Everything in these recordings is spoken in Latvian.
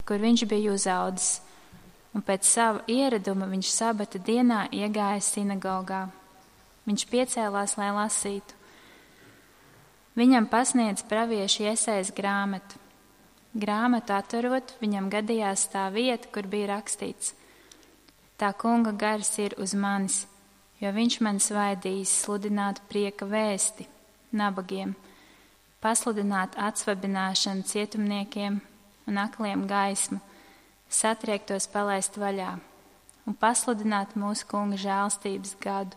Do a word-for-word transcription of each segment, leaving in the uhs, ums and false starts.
kur viņš bija uzaudzis, un pēc sava ieraduma viņš sabata dienā iegāja sinagogā. Viņš piecēlās, lai lasītu. Viņam pasniedz pravieša Jesajas grāmatu. Grāmatu atverot, viņam gadījās tā vieta, kur bija rakstīts: Tā kunga gars ir uz manis, jo viņš man svaidījis sludināt prieka vēsti nabagiem, pasludināt atsvabināšanu cietumniekiem un akliem gaismu, satriektos palaist vaļā un pasludināt mūsu kunga žēlstības gadu.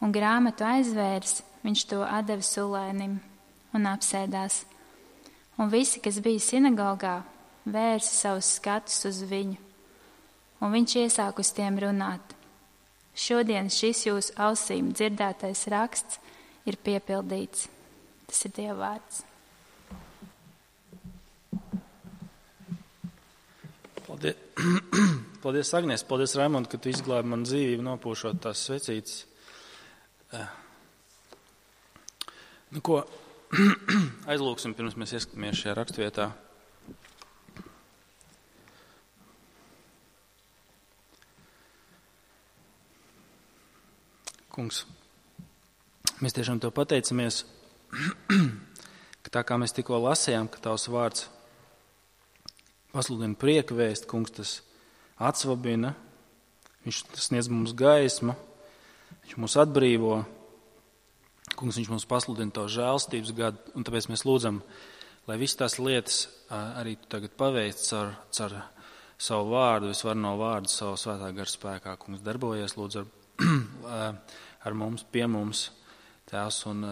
Un grāmatu aizvērs, viņš to atdeva sulēnim un apsēdās. Un visi, kas bija sinagogā, vērsa savus skatus uz viņu. Un viņš iesāk uz tiem runāt: Šodien šis jūsu ausīm dzirdētais raksts ir piepildīts. Tas ir Dieva vārds. Paldies, paldies Agnēs, paldies Raimond, ka tu izglābi man dzīvību, nopūšot tās svecītes. Nu, ko aizlūksim, pirms mēs ieskatāmies šajā rakstvietā. Kungs, mēs tiešām tev pateicamies, ka tā kā mēs tikko lasījām, ka tavs vārds pasludina prieka vēst, kungs, tas atsvabina, viņš sniedz mums gaismu, viņš mūs atbrīvo, kungs, viņš mums pasludina tavu žēlstības gadu, un tāpēc mēs lūdzam, lai visas tās lietas arī tu tagad paveic caur, caur savu vārdu, visvarno vārdu, savu svētā gara spēkā, kungs, darbojies, lūdzu, ar, ar mums, pie mums, Tēvs, un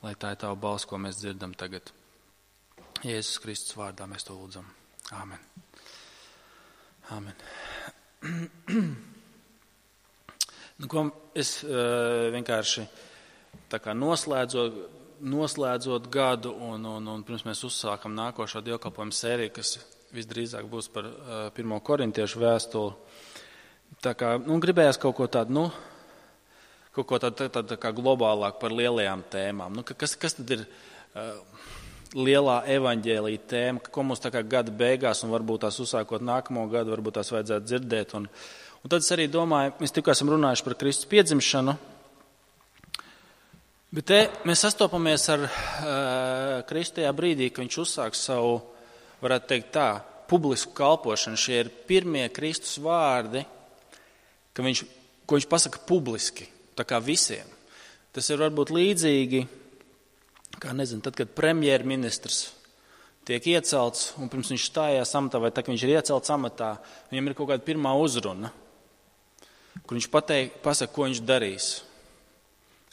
lai tā ir tava balss, ko mēs dzirdam tagad. Jēzus Kristus vārdā mēs to lūdzam. Āmen. Āmen. Nu, ko es uh, vienkārši tā kā noslēdzot, noslēdzot gadu un, un, un pirms mēs uzsākam nākošo dievkalpojumu sēriju, kas visdrīzāk būs par uh, pirmo korintiešu vēstuli. Tā kā, nu, gribējās kaut ko tādu, nu, kaut ko tādu, tādu tā kā globālāk par lielajām tēmām. Nu, kas, kas tad ir uh, lielā evaņģēlija tēma, ko mums tā kā gada beigās un varbūt tās uzsākot nākamo gadu, varbūt tās vajadzētu dzirdēt. Un, un tad es arī domāju, mēs tikko esam runājuši par Kristus piedzimšanu, bet te mēs sastopamies ar uh, Kristu tajā brīdī, ka viņš uzsāk savu, varētu teikt tā, publisku kalpošanu. Šie ir pirmie Kristus vārdi, ka viņš, ko viņš pasaka publiski, tā kā visiem. Tas ir varbūt līdzīgi, kā nezinu, tad, kad premjerministrs tiek iecelts un pirms viņš stājās amatā, vai tā, ka viņš ir iecelts amatā, viņam ir kaut kāda pirmā uzruna, kur viņš pateik, pasaka, ko viņš darīs.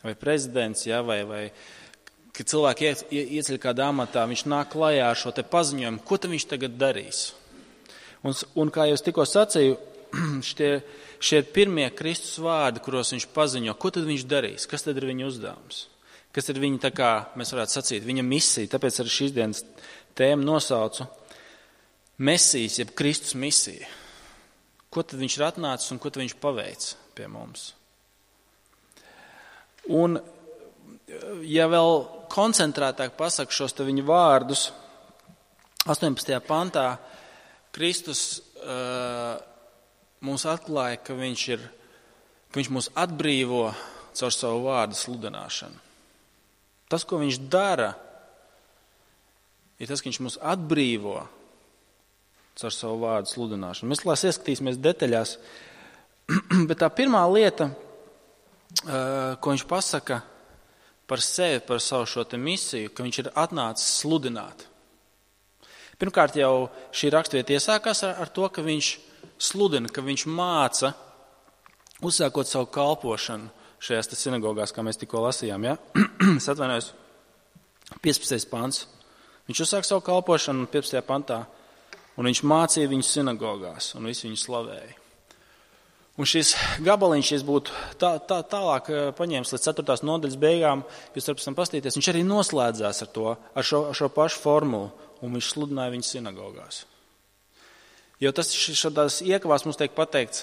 Vai prezidents, ja, vai, vai kad cilvēki ie, ie, ieceļ kādā amatā, viņš nāk klajā ar šo te paziņojumu, ko tad viņš tagad darīs. Un, un kā jau es tikko sacīju, šie, šie ir pirmie Kristus vārdi, kuros viņš paziņo, ko tad viņš darīs, kas tad ir viņa uzdevums. Kas ir viņa, tā kā mēs varētu sacīt, viņa misija, tāpēc arī šīs dienas tēmu nosaucu Mesijas, jeb Kristus misija. Ko tad viņš ir atnācis un ko tad viņš paveic pie mums? Un, ja vēl koncentrētāk pasaku šos te viņa vārdus, astoņpadsmitajā pantā Kristus uh, mums atklāja, ka viņš, ir, ka viņš mūs atbrīvo caur savu vārdu sludināšanu. Tas, ko viņš dara, ir tas, ka viņš mūs atbrīvo caur savu vārdu sludināšanu. Mēs lās ieskatīsimies detaļās, bet tā pirmā lieta, ko viņš pasaka par sevi, par savu šo te misiju, ka viņš ir atnācis sludināt. Pirmkārt jau šī rakstvieta iesākās ar, ar to, ka viņš sludina, ka viņš māca, uzsākot savu kalpošanu šajās sinagogās, kā mēs tikko lasījām, ja? Es atvainojos, piecpadsmitais pants. Viņš uzsāk savu kalpošanu piecpadsmitajā pantā, un viņš mācīja viņus sinagogās, un visi viņu slavēja. Un šis gabaliņš, ja būtu tā, tā, tālāk paņēmis līdz ceturtās nodaļas beigām, jūs varat pēc tam pastīties, viņš arī noslēdzās ar to, ar šo, ar šo pašu formulu, un viņš sludināja viņus sinagogās. Jo tas šādās iekavās mums tiek pateikts,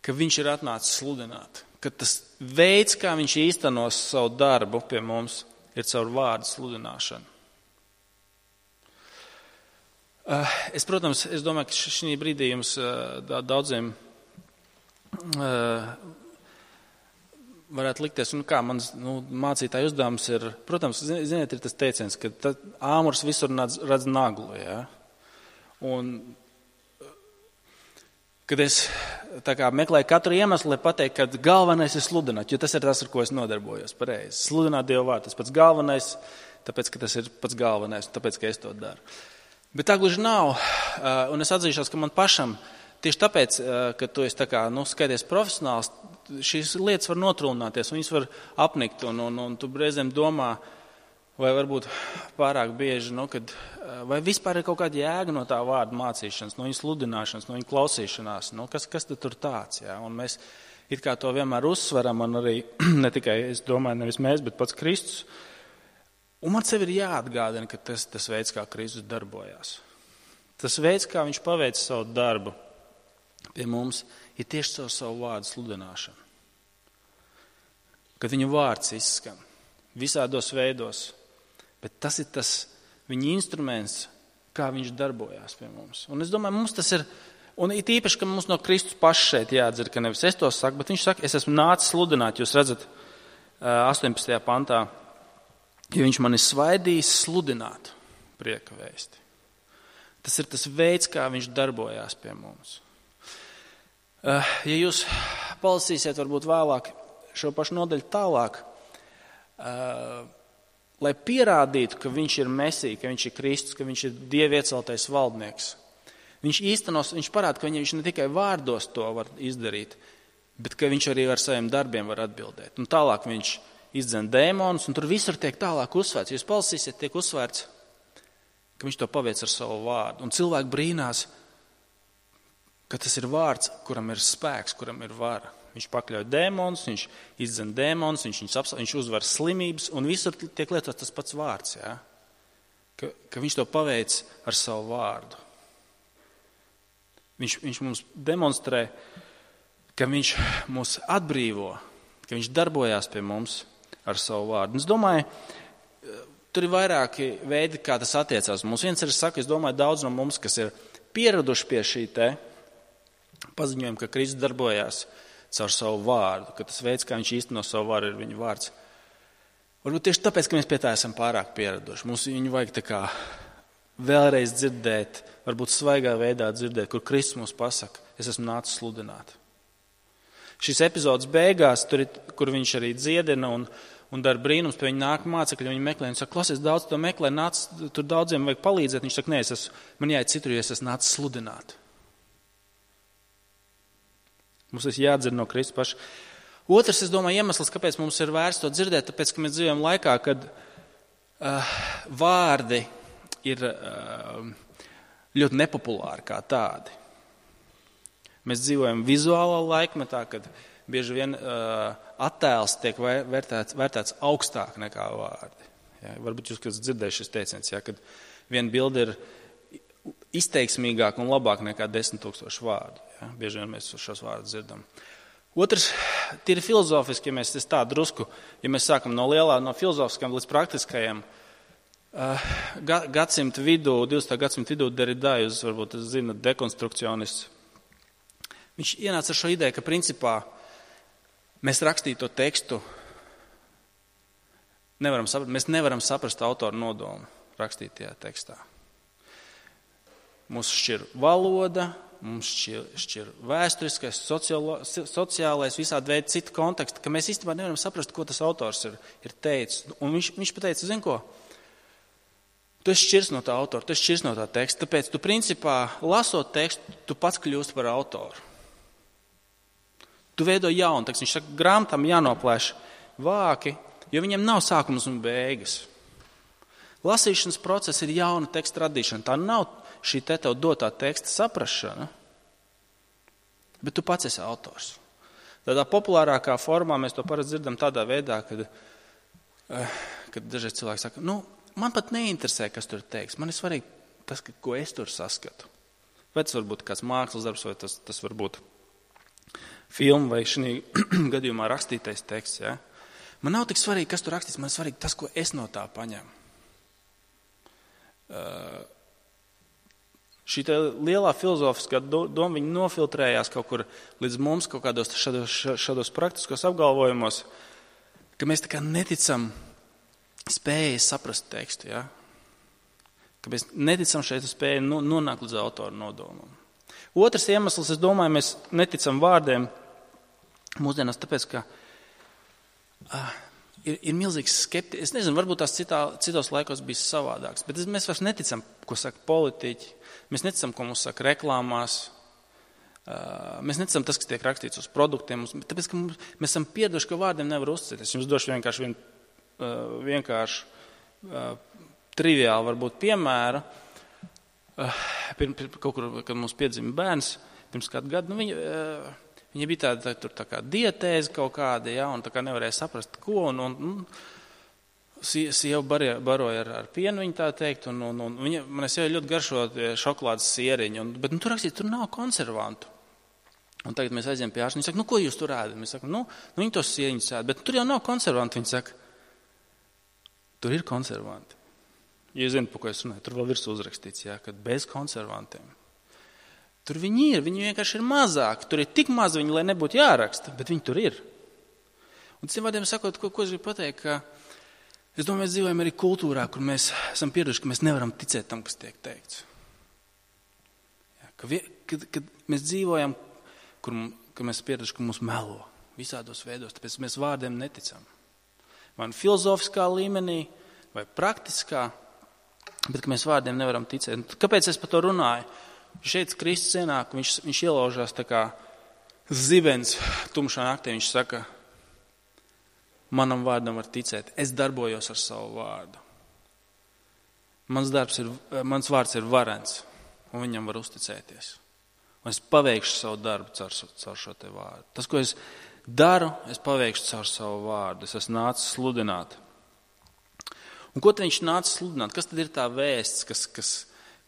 ka viņš ir atnācis sludināt. Ka tas veids, kā viņš īstenos savu darbu pie mums, ir caur vārdu sludināšanu. Es, protams, es domāju, ka šī brīdī jums daudziem varētu likties, un kā mans nu, mācītāja uzdevums ir, protams, ziniet, ir tas teiciens, ka tā, āmurs visur redz, redz naglu, ja? Un kad es tā kā meklēju katru iemeslu, lai pateikt, ka galvenais ir sludināt, jo tas ir tas, ar ko es nodarbojos pareizi. Sludināt Dievu vārdu, tas pats galvenais, tāpēc, ka tas ir pats galvenais, tāpēc, ka es to daru. Bet tā gluži nav, un es atzīšos, ka man pašam, tieši tāpēc, ka tu esi tā kā, nu, skaities profesionāls, šīs lietas var notrūlināties, un viņas var apnikt, un, un, un tu reizēm domā, vai varbūt pārāk bieži, nu, kad, vai vispār ir kaut kāda jēga no tā vārda mācīšanas, no viņa sludināšanas, no viņa klausīšanās, nu, kas, kas tad tur tāds, jā, un mēs it kā to vienmēr uzsveram, un arī, ne tikai, es domāju, nevis mēs, bet pats Kristus, un man sev ir jāatgādina, ka tas, tas veids, kā Kristus darbojās, tas veids, kā viņš paveic savu darbu pie mums, ir tieši caur savu vārdu sludināšanu, kad viņu vārds izskan visādos veidos, bet tas ir tas viņa instruments, kā viņš darbojās pie mums. Un es domāju, mums tas ir, un it īpaši, ka mums no Kristus paša šeit jāatdzer, ka nevis es to saku, bet viņš saka, es esmu nācis sludināt, jūs redzat astoņpadsmitajā pantā, jo viņš mani svaidījis sludināt prieka vēsti. Tas ir tas veids, kā viņš darbojās pie mums. Ja jūs palasīsiet varbūt vēlāk šo pašu nodaļu tālāk, lai pierādītu, ka viņš ir Mesija, ka viņš ir Kristus, ka viņš ir Dieva ieceltais valdnieks. Viņš īstenos, viņš parāda, ka viņš ne tikai vārdos to var izdarīt, bet ka viņš arī ar saviem darbiem var atbildēt. Un tālāk viņš izdzen dēmonus, un tur visur tiek tālāk uzsvērts. Jūs palasīsiet, tiek uzsvērts, ka viņš to paveic ar savu vārdu. Un cilvēki brīnās, ka tas ir vārds, kuram ir spēks, kuram ir vara. Viņš pakļauj dēmonus, viņš izdzen dēmonus, viņš, viņš, viņš uzvar slimības, un visur tiek lietots tas pats vārds, ja? ka, ka viņš to paveic ar savu vārdu. Viņš, viņš mums demonstrē, ka viņš mūs atbrīvo, ka viņš darbojās pie mums ar savu vārdu. Un es domāju, tur ir vairāki veidi, kā tas attiecās. Mums viens ir, es saku, es domāju, daudz no mums, kas ir pieraduši pie šī te paziņojuma, ka Kristus darbojās caur savu vārdu, ka tas veids, kā viņš īsteno savu vārdu, ir viņa vārds. Varbūt tieši tāpēc, ka mēs pie tā esam pārāk pieraduši. Mums viņu vajag tā kā vēlreiz dzirdēt, varbūt svaigā veidā dzirdēt, kur Kristus mums pasaka, es esmu nācis sludināt. Šis epizodes beigās, tur, kur viņš arī dziedina un, un dara brīnums, pie viņa nāk mācekļi, viņi meklē, un saka, klausies, daudz to meklē, nāc, tur daudziem vajag palīdzēt. Viņš saka, nē, es esmu, man jāiet citur, jo es esmu nācis sludināt. Mums ir jādzird no Kristus paša. Otrs, es domāju, iemesls, kāpēc mums ir vērts to dzirdēt, tāpēc, ka mēs dzīvojam laikā, kad uh, vārdi ir uh, ļoti nepopulāri kā tādi. Mēs dzīvojam vizuālā laikmetā, kad bieži vien uh, attēls tiek vērtēts, vērtēts augstāk nekā vārdi. Ja, varbūt jūs kāds dzirdējuši šis teiciens, ja, kad viena bilde ir izteiksmīgāk un labāk nekā desmit tūkstoši vārdu. Ja? Bieži vien mēs šos vārdus dzirdam. Otrs, tīri filozofiski, ja mēs tā drusku, ja mēs sākam no lielā, no filozofiskām līdz praktiskajiem, uh, gadsimta vidū, divdesmitā gadsimta vidū Derrida, jūs varbūt zinat, dekonstrukcionists, viņš ienāca ar šo ideju, ka principā mēs rakstīto tekstu nevaram saprast, mēs nevaram saprast autoru nodomu rakstītajā tekstā. Mums šķir valoda, mums šķir, šķir vēsturiskais, sociālo, sociālais, visādi veidi citu kontekstu, ka mēs īstenībā nevaram saprast, ko tas autors ir, ir teicis. Un viņš, viņš pateica, zin ko, tu esi šķirs no tā autora, tu esi šķirs no tā teksta, tāpēc tu principā, lasot tekstu, tu pats kļūst par autoru. Tu veido jaunu tekstu. Viņš saka, grāmatām jānoplēš vāki, jo viņiem nav sākums un beigas. Lasīšanas process ir jauna teksta radīšana. Tā nav šī te tev dotā teksta saprašana, bet tu pats esi autors. Tādā populārākā formā mēs to parasti dzirdam tādā veidā, kad, kad dažreiz cilvēki saka, nu, man pat neinteresē, kas tur teiks. Man ir svarīgi tas, ko es tur saskatu. Vai tas var būt kāds mākslas darbs, vai tas, tas var būt filma, vai šī gadījumā rakstītais teksts. Ja? Man nav tik svarīgi, kas tur rakstīts, man ir svarīgi tas, ko es no tā paņemu. Uh, Šī lielā filozofiskā doma, viņa nofiltrējās kaut kur līdz mums, kaut kādos šādos, šādos praktiskos apgalvojumos, ka mēs tā kā neticam spējai saprast tekstu, ja? Ka mēs neticam šeit spēju nonākt līdz autoru nodomam. Otrs iemesls, es domāju, mēs neticam vārdiem mūsdienās, tāpēc, ka uh, ir, ir milzīgs skepti. Es nezinu, varbūt tās citā, citos laikos bija savādāks, bet mēs vairs neticam, ko saka politiķi, mēs neticam, ko mums saka reklāmās, uh, mēs neticam tas, kas tiek rakstīts uz produktiem, tāpēc, ka mums, mēs esam pieraduši, ka vārdiem nevar uzticēties. Es jums došu vienkārši vien, uh, vienkārši uh, triviāli varbūt piemēra. Pirms, kaut kur, kad mums piedzima bērns, pirms kādu gadu, nu, viņa, viņa bija tāda, tā, tā kā dietēze kaut kāda, ja, un tā kā nevarēja saprast, ko, un, un, un sieva baroja, baroja ar, ar pienu, viņa tā teikt, un, un, un viņa, man es jau ļoti garšo šokolādes sieriņu, un, bet nu, tur rakstīt, tur nav konservantu. Un tagad mēs aizjām pie ārsta, viņa saka, nu, ko jūs tur ēdat? Mēs sakam, nu, nu, viņi tos sieriņus ēd, bet tur jau nav konservantu, viņa saka, tur ir konservanti. Ja zinu, par ko es runāju, tur vēl virs uzrakstīts, jā, ka bez konservantiem. Tur viņi ir, viņi vienkārši ir mazāki. Tur ir tik maz viņi, lai nebūtu jāraksta, bet viņi tur ir. Un citiem vārdiem sakot, ko, ko es gribu pateikt, ka es domāju, mēs dzīvojam arī kultūrā, kur mēs esam pieraduši, ka mēs nevaram ticēt tam, kas tiek teikts. Jā, ka, vie, kad, kad mēs dzīvojam, kur ka mēs pieraduši, ka mūs melo visādos veidos, tāpēc mēs vārdiem neticam. Vai filozofiskā līmenī, vai praktiskā, bet ka mēs vārdiem nevaram ticēt. Kāpēc es par to runāju? Šeit Kristus ienāk, viņš, viņš ielaužās tā kā zibens tumšā naktī. Viņš saka, manam vārdam var ticēt, es darbojos ar savu vārdu. Mans, darbs ir, mans vārds ir varens, un viņam var uzticēties. Un es paveikšu savu darbu caur, caur šo te vārdu. Tas, ko es daru, es paveikšu caur savu vārdu. Es esmu nācis sludināt. Un ko tad viņš nāca sludināt? Kas tad ir tā vēsts, kas, kas,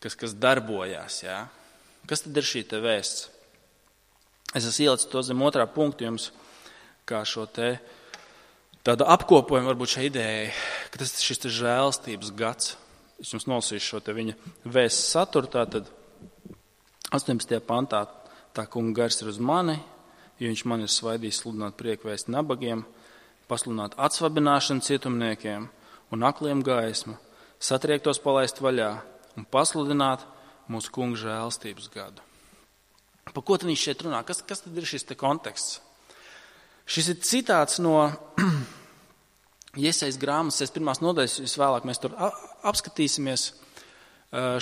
kas, kas darbojās? Jā? Kas tad ir šī te vēsts? Es esmu ielicis to zem otrā punktu jums, kā šo te tādu apkopojumu varbūt šai idejai, ka tas šis te žēlstības gads. Es jums nolasīšu šo te viņa vēsts saturu, tātad astoņpadsmitajā pantā tā kunga gars ir uz mani, jo viņš man ir svaidījis sludināt prieku vēsti nabagiem, pasludināt atsvabināšanu cietumniekiem, un akliem gaismu, satriektos palaist vaļā un pasludināt mūsu kunga žēlstības gadu. Par ko tad viņš šeit runā? Kas, kas tad ir šis te konteksts? Šis ir citāts no Jesajas grāmatas, es pirmās nodaļas, visvēlāk mēs tur apskatīsimies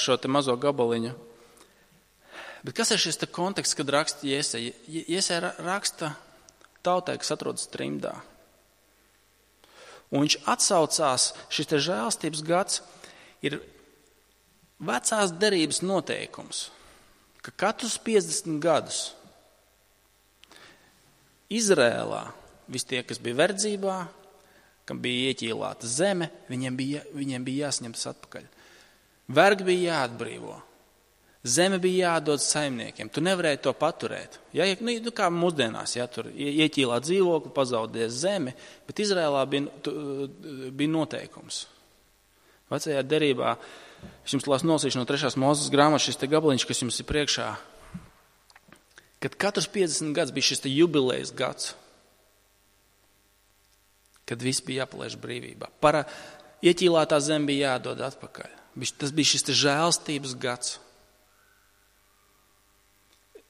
šo te mazo gabaliņu. Bet kas ir šis te konteksts, kad raksta Jesaja? Jesaja raksta tautai, kas atrodas trimdā. Un viņš atsaucās, šis te žēlstības gads ir vecās derības noteikums, ka katrus piecdesmit gadus Izrēlā visi tie, kas bija verdzībā, kam bija ieķīlāta zeme, viņiem bija, viņiem bija jāsņemtas atpakaļ. Vergi bija jāatbrīvo. Zeme bija jādod saimniekiem. Tu nevarēji to paturēt. Ja, nu, kā mūsdienās, ja tur ieķīlā dzīvokli, pazaudēs zemi, bet Izrēlā bija, tu, bija noteikums. Vecajā derībā, es jums lasu nolasīšu no trešās Mūzes grāmatas, šis te gabaliņš, kas jums ir priekšā, kad katrs piecdesmit gads bija šis te jubilejas gads, kad viss bija jāpalaiž brīvībā. Para ieķīlātā zeme bija jādod atpakaļ. Tas bija šis te žēlstības gads.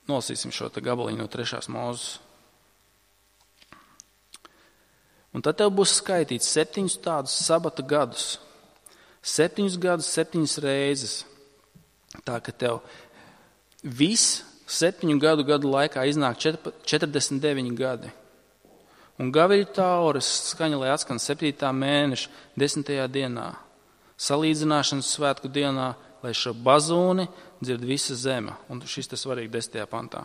Nolasīsim šo te gabaliņu no trešās Mūzes. Un tad tev būs skaitīts septiņus tādus sabata gadus. Septiņus gadus, septiņas reizes. Tā, ka tev viss septiņu gadu gadu laikā iznāk četrdesmit deviņi gadi. Un gaviļu tauras skaņa, lai atskan septītā mēneša desmitajā dienā. Salīdzināšanas svētku dienā, lai šo bazūni dzird visa zeme. Un šis tas svarīgi desmitajā pantā.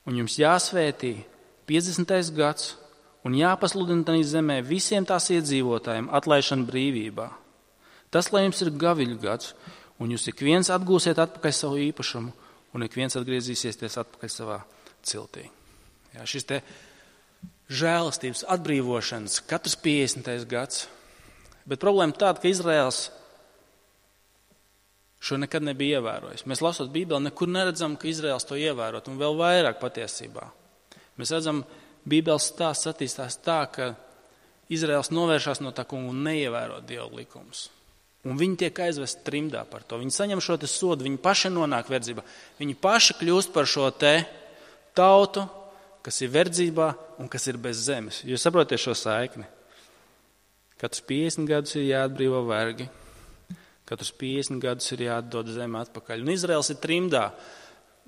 Un jums jāsvētī piecdesmitais gads un jāpasludina tā zemē visiem tās iedzīvotājiem atlaišana brīvībā. Tas, lai jums ir gaviļu gads, un jūs ik viens atgūsiet atpakaļ savu īpašumu, un ik viens atgriezīsies atpakaļ savā ciltī. Jā, šis te žēlastības atbrīvošanas katrs piecdesmitais gads. Bet problēma tāda, ka Izraels šo nekad nebija ievērojis. Mēs lasot Bībeli, nekur neredzam, ka Izraels to ievērot, un vēl vairāk patiesībā. Mēs redzam, Bībeles stāsts attīstās tā, ka Izraels novēršās no tā kunga un neievēro Dieva likumus. Un viņi tiek aizvest trimdā par to. Viņi saņem šo te sodu, viņi paši nonāk verdzībā. Viņi paši kļūst par šo te tautu, kas ir verdzībā un kas ir bez zemes. Jūs saprotiet šo saikni? Katrs piecdesmit gadus ir jāatbrīvo vergi. Katrs piecdesmit gadus ir jāatdod zeme atpakaļ. Un Izraels ir trimdā.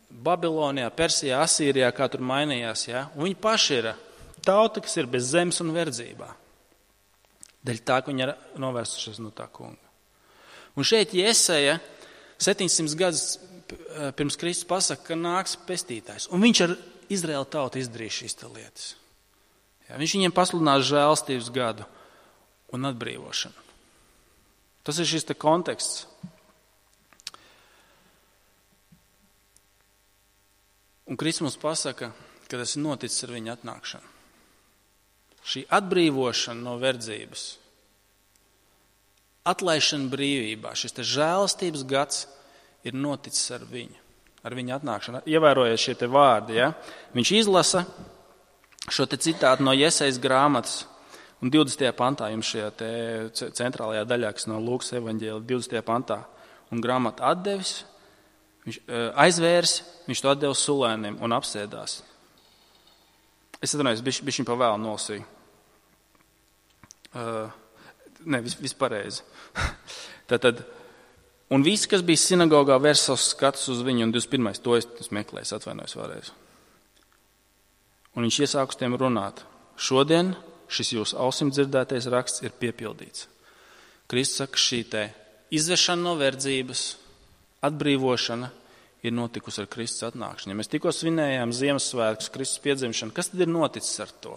Babilonijā, Persijā, Asīrijā, kā tur mainījās. Ja? Un viņi paši ir tauta, kas ir bez zemes un verdzībā. Dēļ tā, ka viņi ir novērsušies no tā kunga. Un šeit Jesaja septiņsimt gadus pirms Kristus pasaka, ka nāks pestītājs. Un viņš ar Izraēla tautu izdarīs šīs lietas. Ja? Viņš viņiem pasludinās žēlstības gadu un atbrīvošanu. Tas ir šis te konteksts. Un Kristus mums pasaka, ka tas ir noticis ar viņa atnākšanu. Šī atbrīvošana no verdzības, atlaišana brīvībā, šis te žēlastības gads ir noticis ar viņu, ar viņa atnākšanu. Ievērojiet šie te vārdi, ja? Viņš izlasa šo te citātu no Jesajas grāmatas, un divdesmitajā pantā jums šajā te centrālajā daļā, kas no Lūkas evaņģēlija, divdesmitajā pantā, un grāmatu atdevis, viņš aizvērs, viņš to atdeva sulēniem un apsēdās. Es atvainojos, bišķiņ pa vēlu nolasīju. Uh, ne, vis, vispareizi. Tātad, un visi, kas bija sinagogā, vērs savus skatus uz viņu, un divdesmit pirmais to es meklēju, atvainojos vēlreiz. Un viņš iesāk uz tiem runāt. Šodien šis jūsu ausim dzirdētais raksts ir piepildīts. Kristus saka, šī te izvešana no verdzības, atbrīvošana ir notikusi ar Kristus atnākšanu. Ja mēs tikko svinējām Ziemassvētkus, Kristus piedzimšanu, kas tad ir noticis ar to?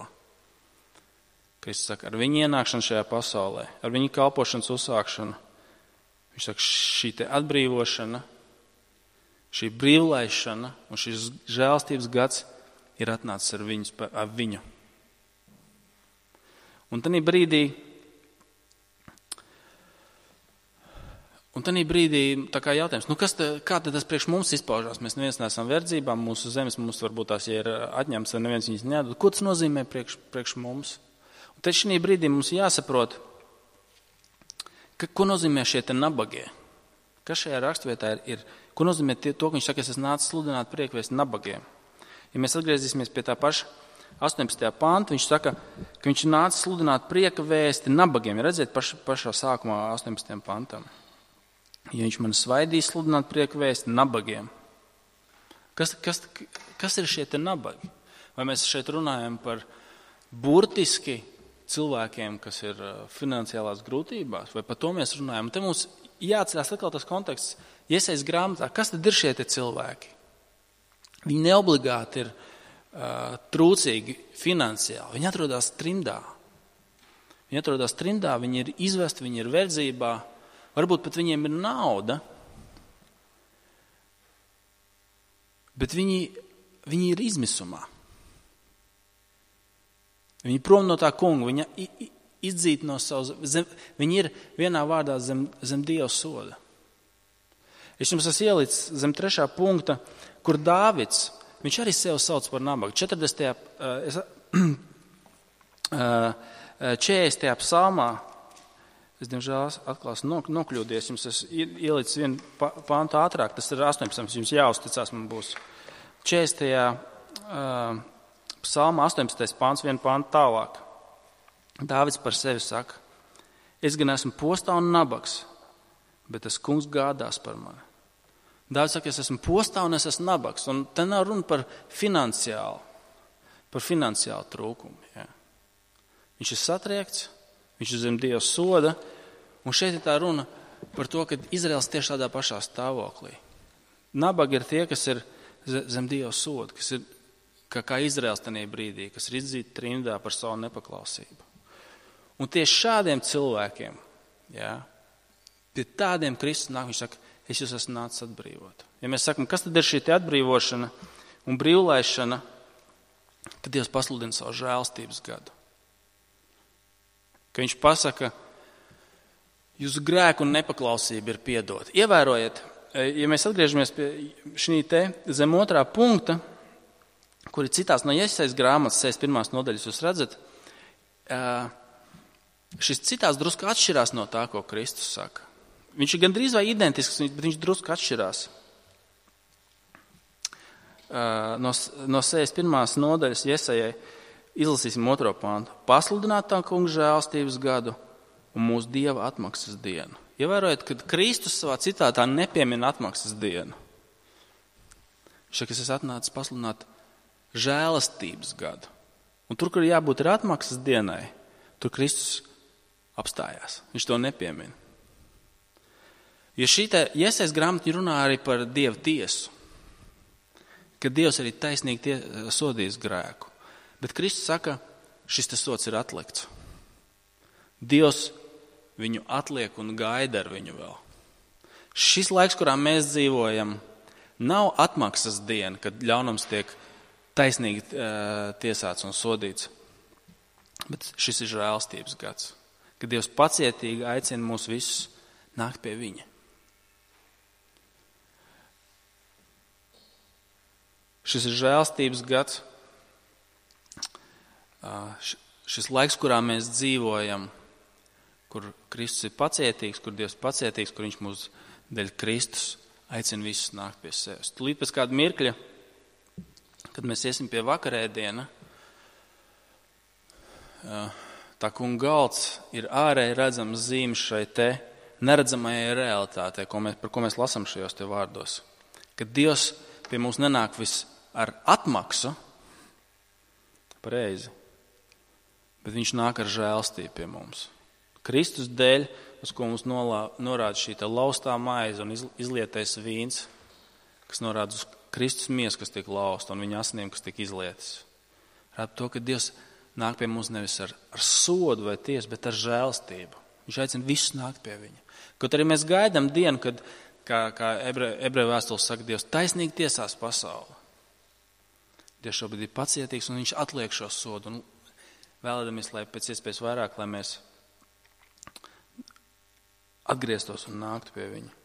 Kristus saka, ar viņa ienākšanu šajā pasaulē, ar viņa kalpošanas uzsākšanu, viņš saka, šī te atbrīvošana, šī brīvlaišana un šis žēlstības gads ir atnācis ar, viņus, ar viņu. Un tanī brīdī, un tanī brīdī tā kā jautājums, nu kas te, kā tad tas priekš mums izpaužās? Mēs neviens neesam verdzībā, mūsu zemes mums varbūt tās, ja ir atņemts, vai neviens viņas neatdod. Ko tas nozīmē priekš, priekš mums? Un tad šī brīdī mums jāsaprot, ka, ko nozīmē šie te nabagie. Kas šajā rakstvietā ir, ir ko nozīmē tie, to, ka viņš saka, es esmu nācis sludināt priekvēsti nabagiem. Ja mēs atgriezīsimies pie tā paša astoņpadsmitajā pānta, viņš saka, ka viņš ir nācis sludināt prieka vēsti nabagiem. Ja redzēt paš, pašā sākumā astoņpadsmitajam pantam. Ja viņš man svaidīs sludināt prieka vēsti nabagiem. Kas, kas, kas ir šie te nabagi? Vai mēs šeit runājam par burtiski cilvēkiem, kas ir finansiālās grūtībās, vai par to mēs runājam? Un te mums jāatcerās atkal tas konteksts Jesajas grāmatā. Kas tad ir šie te cilvēki? Viņi neobligāti ir uh, trūcīgi finansiāli. Viņi atrodas trimdā. Viņi atrodas trimdā, viņi ir izvesti, viņi ir verdzībā. Varbūt pat viņiem ir nauda, bet viņi, viņi ir izmisumā. Viņi prom no tā kunga, viņa izdzīti no savas, zem, viņi ir vienā vārdā zem, zem Dieva soda. Es jums esmu ielicis zem trešā punkta, kur Dāvids, viņš arī sevi sauc par nabagu. četrdesmitajā četrdesmitajā psalmā, es diemžēl atklāsu nokļūdies, jums es ielicis vienu pāntu ātrāk, tas ir astoņpadsmitais, jums jāuzticās, man būs četrdesmitajā psalmā astoņpadsmitais pāns, vienu pāntu tālāk. Dāvids par sevi saka, es gan esmu postā un nabaks, bet tas kungs gādās par mani. Dāvids saka, es esmu postā un es esmu nabaks, un te nav runa par finansiālu, par finansiālu trūkumu. Ja. Viņš ir satriekts, viņš ir zem Dieva soda, un šeit ir tā runa par to, ka Izraels tieši tādā pašā stāvoklī. Nabagi ir tie, kas ir zem Dieva soda, kas ir kā, kā Izraels tajā brīdī, kas ir izdzīti trimdā par savu nepaklausību. Un tieši šādiem cilvēkiem, ja, pie tādiem Kristus nāk, viņš saka, es jūs esmu nācis atbrīvot. Ja mēs sakam, kas tad ir šī atbrīvošana un brīvlaišana, tad Dievs pasludina savu žēlstības gadu. Ka viņš pasaka, jūsu grēku un nepaklausība ir piedota. Ievērojiet, ja mēs atgriežamies pie šī te zem otrā punkta, kur ir citās no Jesajas grāmatas, sešdesmit pirmās nodaļas, jūs redzat, šis citās drusku atšķirās no tā, ko Kristus saka. Viņš ir gandrīz vai identisks, bet viņš drusku atšķirās. No, no sešdesmit pirmās nodaļas Jesajai izlasīsim otro pāntu. Pasludināt tā kunga žēlstības gadu un mūsu Dieva atmaksas dienu. Ievērojot, kad Kristus savā citātā nepiemina atmaksas dienu. Viņš saka, es esmu atnācis pasludināt žēlastības gadu. Un tur, kur jābūt ir atmaksas dienai, tur Kristus apstājās. Viņš to nepiemina. Jo šī te Jesajas grāmata runā arī par Dieva tiesu. Ka Dievs arī taisnīgi tie, sodīs grēku. Bet Kristus saka, šis tas sods ir atlikts. Dievs viņu atliek un gaida ar viņu vēl. Šis laiks, kurā mēs dzīvojam, nav atmaksas diena, kad ļaunums tiek taisnīgi uh, tiesāts un sodīts. Bet šis ir žēlstības gads, kad Dievs pacietīgi aicina mūs visus nākt pie viņa. Šis ir žēlstības gads, uh, šis laiks, kurā mēs dzīvojam, kur Kristus ir pacietīgs, kur Dievs pacietīgs, kur viņš mūs dēļ Kristus aicina visus nākt pie sevis. Tūlīt pēc kāda mirkļa, kad mēs iesim pie vakarēdiena, tā kunga galds ir ārēji redzams zīmes šai te neredzamajai realitātei, ko mēs, par ko mēs lasām šajos te vārdos. Kad Dievs pie mums nenāk vis ar atmaksu, pareizi, bet viņš nāk ar žēlstību pie mums. Kristus dēļ, uz ko mums nolā, norāda šī tā laustā maize un izlietais vīns, kas norāda uz Kristus miesu, kas tiek lausta, un viņa asinīm, kas tiek izlietas. Rāda to, ka Dievs nāk pie mums nevis ar, ar sodu vai tiesu, bet ar žēlstību. Viņš aicina visus nākt pie viņa. Kaut arī mēs gaidām dienu, kad, kā, kā ebre, ebreju vēstules saka, Dievs taisnīgi tiesās pasauli. Dievs šobrīd ir pacietīgs, un viņš atliek šo sodu, un vēlēdamies, lai pēc iespējas vairāk, lai mēs atgrieztos un nāktu pie viņa.